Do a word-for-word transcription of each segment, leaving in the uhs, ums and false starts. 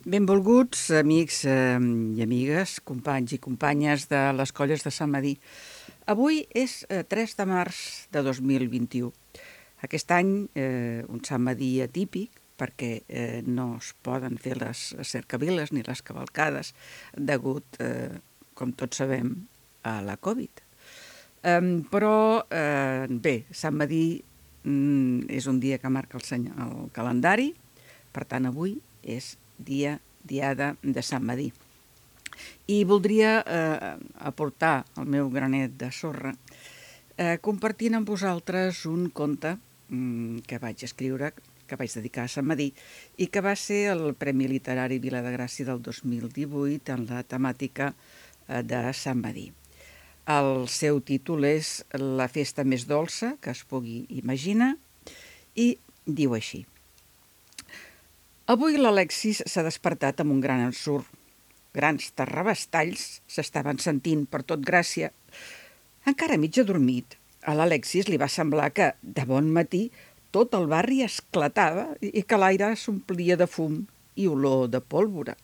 Benvolguts, amics eh, i amigues, companys i companyes de les Colles de Sant Medir. Avui és eh, tres de març de dos mil vint-i-u. Aquest any eh, un Sant Medir atípic, perquè eh, no es poden fer les cercaviles ni les cavalcades degut, eh, com tots sabem, a la Covid. Eh, però, eh, bé, Sant Medir mm, és un dia que marca el, senyor, el calendari, per tant avui és dia diada de Sant Medir. I voldria eh, aportar el meu granet de sorra eh, compartint amb vosaltres un conte mm, que vaig escriure, que vaig dedicar a Sant Medir i que va ser el Premi Literari Vila de Gràcia del dos mil divuit en la temàtica eh, de Sant Medir. El seu títol és La festa més dolça que es pugui imaginar i diu així. Avui l'Alexis s'ha despertat amb un gran ensurt. Grans terrabastalls s'estaven sentint per tot Gràcia. Encara mig adormit, a l'Alexis li va semblar que, de bon matí, tot el barri esclatava i que l'aire s'omplia de fum i olor de pólvora.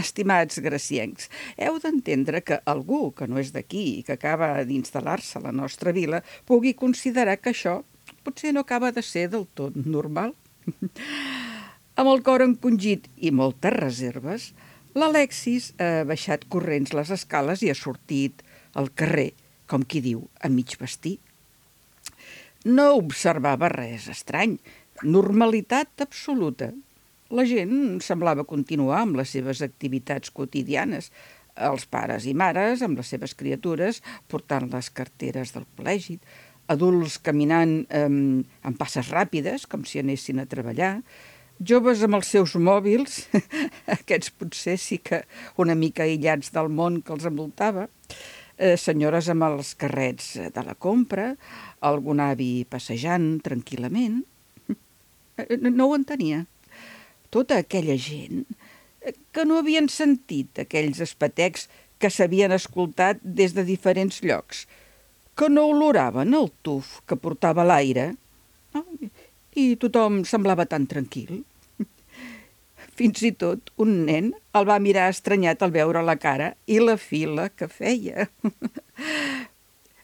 Estimats graciencs, heu d'entendre que algú que no és d'aquí i que acaba d'instal·lar-se a la nostra vila pugui considerar que això potser no acaba de ser del tot normal. Amb el cor encongit i moltes reserves, l'Alexis ha baixat corrents les escales i ha sortit al carrer, com qui diu, a mig vestir. No observava res estrany, normalitat absoluta. La gent semblava continuar amb les seves activitats quotidianes, els pares i mares amb les seves criatures portant les carteres del col·legi, adults caminant eh, amb passes ràpides, com si anessin a treballar, joves amb els seus mòbils, aquests potser sí que una mica aïllats del món que els envoltava, eh, senyores amb els carrets de la compra, algun avi passejant tranquil·lament. No ho entenia. Tota aquella gent que no havien sentit aquells espetecs que s'havien escoltat des de diferents llocs, que no oloraven el tuf que portava l'aire, i tothom semblava tan tranquil. Fins i tot un nen el va mirar estranyat al veure la cara i la fila que feia.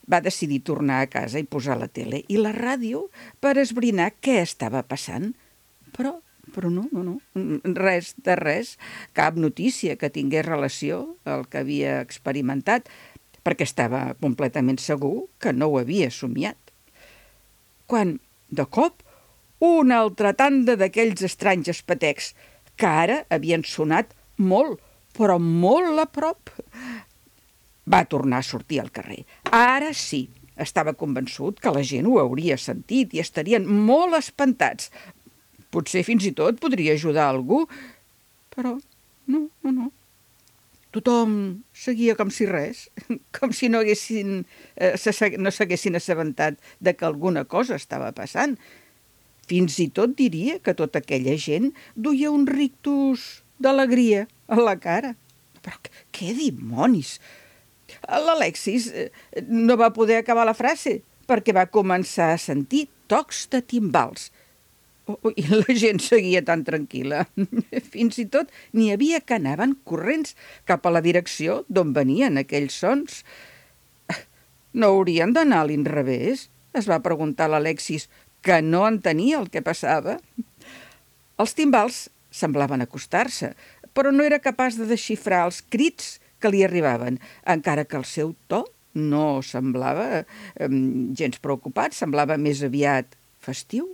Va decidir tornar a casa i posar la tele i la ràdio per esbrinar què estava passant. Però, però no, no, no, res de res, cap notícia que tingués relació al que havia experimentat, perquè estava completament segur que no ho havia somiat. Quan, de cop, una altra tanda d'aquells estranys espetecs que ara havien sonat molt, però molt a prop. Va tornar a sortir al carrer. Ara sí, estava convençut que la gent ho hauria sentit i estarien molt espantats. Potser fins i tot podria ajudar algú, però no, no, no. Tothom seguia com si res, com si no haguessin, eh, no s'haguessin assabentat de que alguna cosa estava passant. Fins i tot diria que tota aquella gent duia un rictus d'alegria a la cara. Però què dimonis! L'Alexis no va poder acabar la frase perquè va començar a sentir tocs de timbals. I la gent seguia tan tranquil·la. Fins i tot n'hi havia que anaven corrents cap a la direcció d'on venien aquells sons. No haurien d'anar a l'inrevés? Es va preguntar l'Alexis, que no entenia el que passava. Els timbals semblaven acostar-se, però no era capaç de desxifrar els crits que li arribaven, encara que el seu to no semblava eh, gens preocupat, semblava més aviat festiu.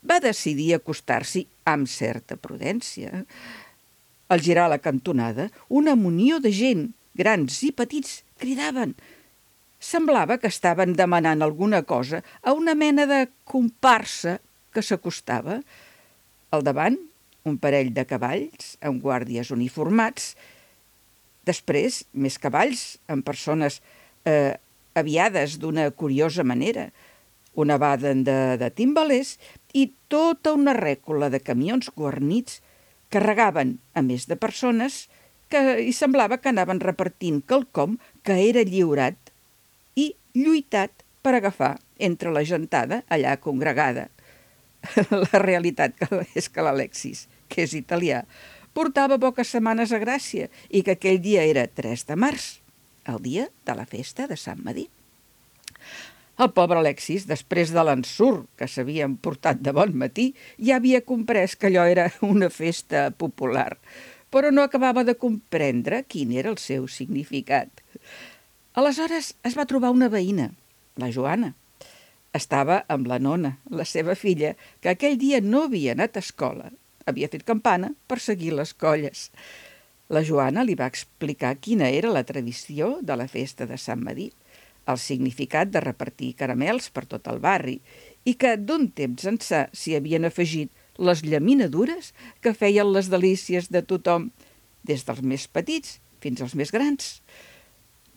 Va decidir acostar-s'hi amb certa prudència. Al girar la cantonada, una munió de gent, grans i petits, cridaven. Semblava que estaven demanant alguna cosa a una mena de comparsa que s'acostava. Al davant, un parell de cavalls amb guàrdies uniformats. Després, més cavalls amb persones eh, aviades d'una curiosa manera. Una baden de, de timbalers i tota una rècola de camions guarnits carregaven, a més de persones, que hi semblava que anaven repartint quelcom que era lliurat i lluitat per agafar entre la gentada allà congregada. La realitat és que l'Alexis, que és italià, portava poques setmanes a Gràcia i que aquell dia era tres de març, el dia de la festa de Sant Medir. El pobre Alexis, després de l'ensurt que s'havien portat de bon matí, ja havia comprès que allò era una festa popular, però no acabava de comprendre quin era el seu significat. Aleshores es va trobar una veïna, la Joana. Estava amb la nona, la seva filla, que aquell dia no havia anat a escola. Havia fet campana per seguir les colles. La Joana li va explicar quina era la tradició de la festa de Sant Medir, el significat de repartir caramels per tot el barri i que d'un temps ençà s'hi havien afegit les llaminadures que feien les delícies de tothom, des dels més petits fins als més grans,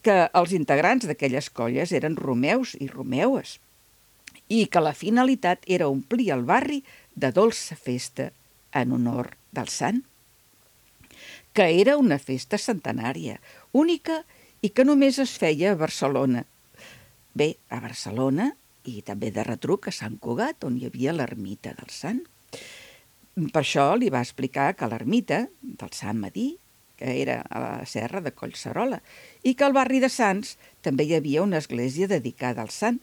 que els integrants d'aquelles colles eren romeus i romeues i que la finalitat era omplir el barri de dolça festa en honor del sant, que era una festa centenària, única i que només es feia a Barcelona. Bé, a Barcelona i també de retruc a Sant Cugat, on hi havia l'ermita del sant. Per això li va explicar que l'ermita del Sant Medir, que era a la serra de Collserola, i que al barri de Sants també hi havia una església dedicada al sant.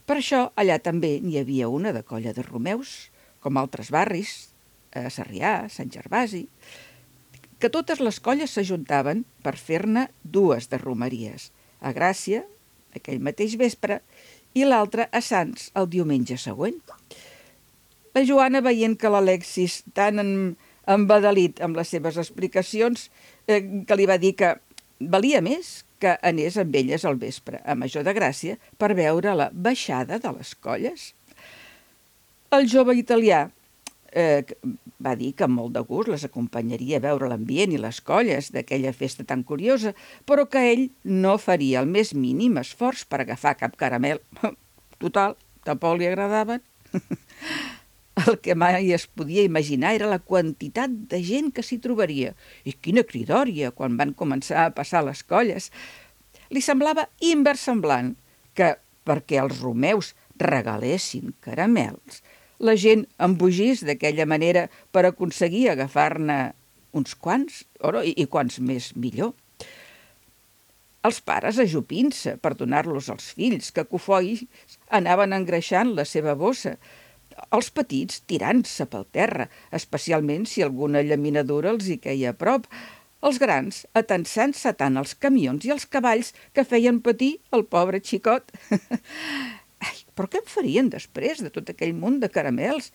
Per això allà també n'hi havia una de colla de romeus, com altres barris, a Sarrià, Sant Gervasi, que totes les colles s'ajuntaven per fer-ne dues de romeries, a Gràcia, aquell mateix vespre, i l'altra a Sants el diumenge següent. La Joana, veient que l'Alexis, tan embadalit amb les seves explicacions, eh, que li va dir que valia més que anés amb elles al vespre, a Major de Gràcia, per veure la baixada de les colles. El jove italià eh, va dir que amb molt de gust les acompanyaria a veure l'ambient i les colles d'aquella festa tan curiosa, però que ell no faria el més mínim esforç per agafar cap caramel. Total, tampoc li agradaven. El que mai es podia imaginar era la quantitat de gent que s'hi trobaria. I quina cridòria quan van començar a passar les colles. Li semblava inversemblant que, perquè els romeus regalessin caramels, la gent embogís d'aquella manera per aconseguir agafar-ne uns quants, i, i quants més millor. Els pares ajupint-se per donar-los als fills, que cofois anaven engreixant la seva bossa, els petits tirant-se pel terra, especialment si alguna llaminadura els hi queia a prop, els grans atensant-se tant els camions i els cavalls que feien patir el pobre xicot. Ai, però què en farien després de tot aquell munt de caramels?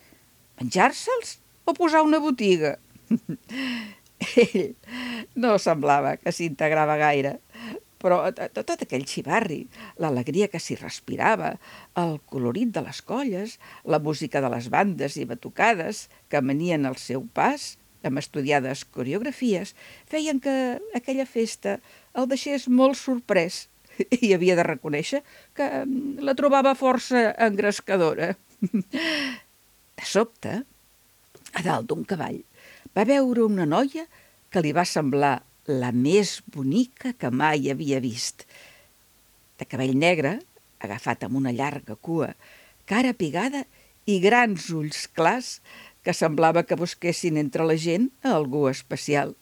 Menjar-se'ls o posar una botiga? Ell no semblava que s'integrava gaire, però tot aquell xivarri, l'alegria que s'hi respirava, el colorit de les colles, la música de les bandes i batucades que venien al seu pas, amb estudiades coreografies, feien que aquella festa el deixés molt sorprès i havia de reconèixer que la trobava força engrescadora. De sobte, a dalt d'un cavall, va veure una noia que li va semblar la més bonica que mai havia vist. De cabell negre, agafat amb una llarga cua, cara pigada i grans ulls clars que semblava que busquessin entre la gent a algú especial.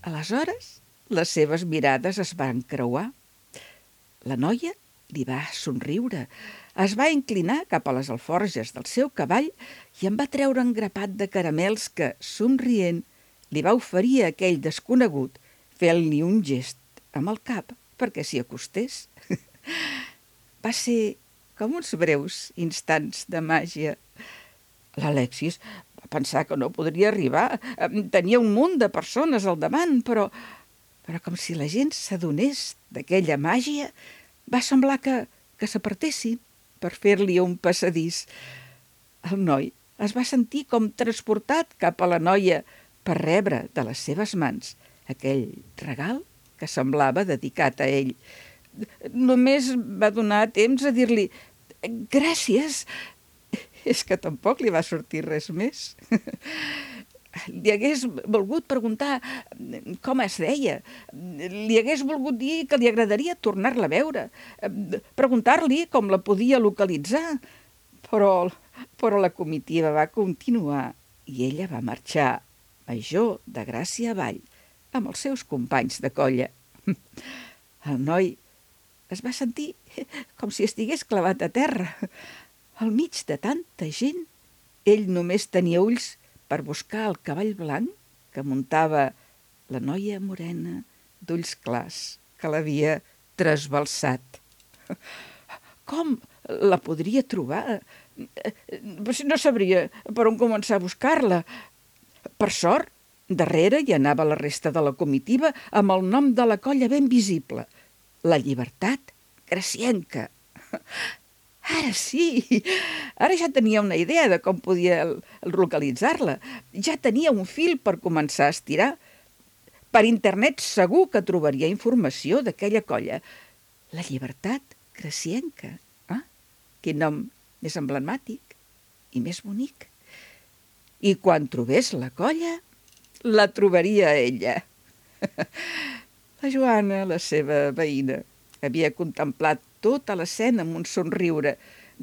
Aleshores, les seves mirades es van creuar. La noia li va somriure, es va inclinar cap a les alforges del seu cavall i en va treure un grapat de caramels que, somrient, li va oferir a aquell desconegut, fent-li un gest amb el cap perquè s'hi acostés. Va ser com uns breus instants de màgia. L'Alexis va pensar que no podria arribar. Tenia un munt de persones al davant, però, però com si la gent s'adonés d'aquella màgia, va semblar que, que s'apartessin per fer-li un passadís. El noi es va sentir com transportat cap a la noia per rebre de les seves mans aquell regal que semblava dedicat a ell. Només va donar temps a dir-li «Gràcies». És que tampoc li va sortir res més. Li hagués volgut preguntar com es deia. Li hagués volgut dir que li agradaria tornar-la a veure. Preguntar-li com la podia localitzar. Però, però la comitiva va continuar i ella va marxar major de gràcia avall amb els seus companys de colla. El noi es va sentir com si estigués clavat a terra. Al mig de tanta gent, ell només tenia ulls per buscar el cavall blanc que muntava la noia morena d'ulls clars que l'havia trasbalsat. Com la podria trobar? No sabria per on començar a buscar-la. Per sort, darrere hi anava la resta de la comitiva amb el nom de la colla ben visible, la Llibertat Gracienca. Ara sí, ara ja tenia una idea de com podia localitzar-la. Ja tenia un fil per començar a estirar. Per internet segur que trobaria informació d'aquella colla. La Llibertat Gracienca. Ah, quin nom més emblemàtic i més bonic. I quan trobés la colla, la trobaria ella. La Joana, la seva veïna, havia contemplat tota l'escena amb un somriure,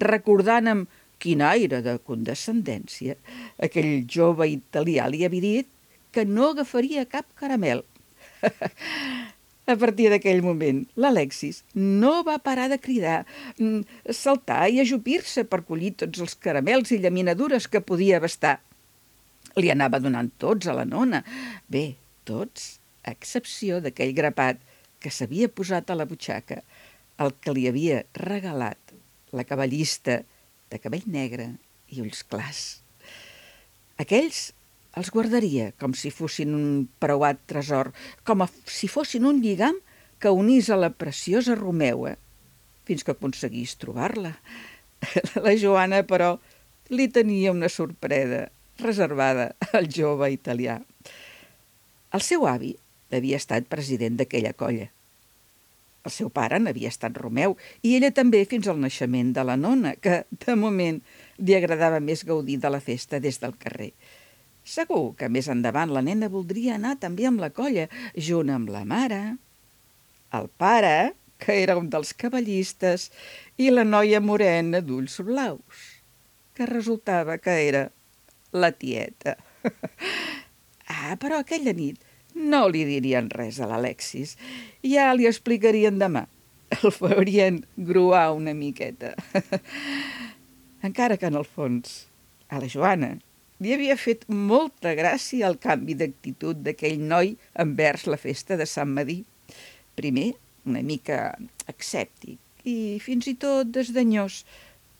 recordant amb quin aire de condescendència aquell jove italià li havia dit que no agafaria cap caramel. A partir d'aquell moment, l'Alexis no va parar de cridar, saltar i ajupir-se per collir tots els caramels i llaminadures que podia abastar. Li anava donant tots a la nona. Bé, tots, a excepció d'aquell grapat que s'havia posat a la butxaca, el que li havia regalat la cavallista de cabell negre i ulls clars. Aquells els guardaria com si fossin un preuat tresor, com si fossin un lligam que unís a la preciosa Romeua, fins que aconseguís trobar-la. La Joana, però, li tenia una sorpresa reservada al jove italià. El seu avi havia estat president d'aquella colla. El seu pare n'havia estat Romeu i ella també fins al naixement de la nona, que, de moment, li agradava més gaudir de la festa des del carrer. Segur que més endavant la nena voldria anar també amb la colla, junt amb la mare, el pare, que era un dels cavallistes, i la noia morena d'ulls blaus, que resultava que era la tieta. Ah, però aquella nit no li dirien res a l'Alexis. Ja li explicarien demà. El farien gruar una miqueta. Encara que en el fons, a la Joana li havia fet molta gràcia el canvi d'actitud d'aquell noi envers la festa de Sant Medir. Primer, una mica escèptic i fins i tot desdenyós,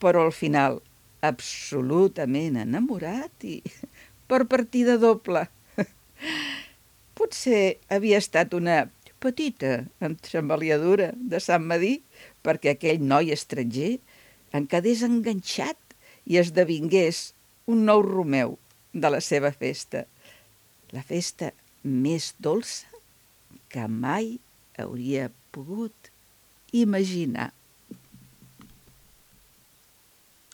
però al final absolutament enamorat i per partida doble. Potser havia estat una petita entremaliadura de Sant Medir perquè aquell noi estranger en quedés enganxat i esdevingués un nou Romeu de la seva festa. La festa més dolça que mai hauria pogut imaginar.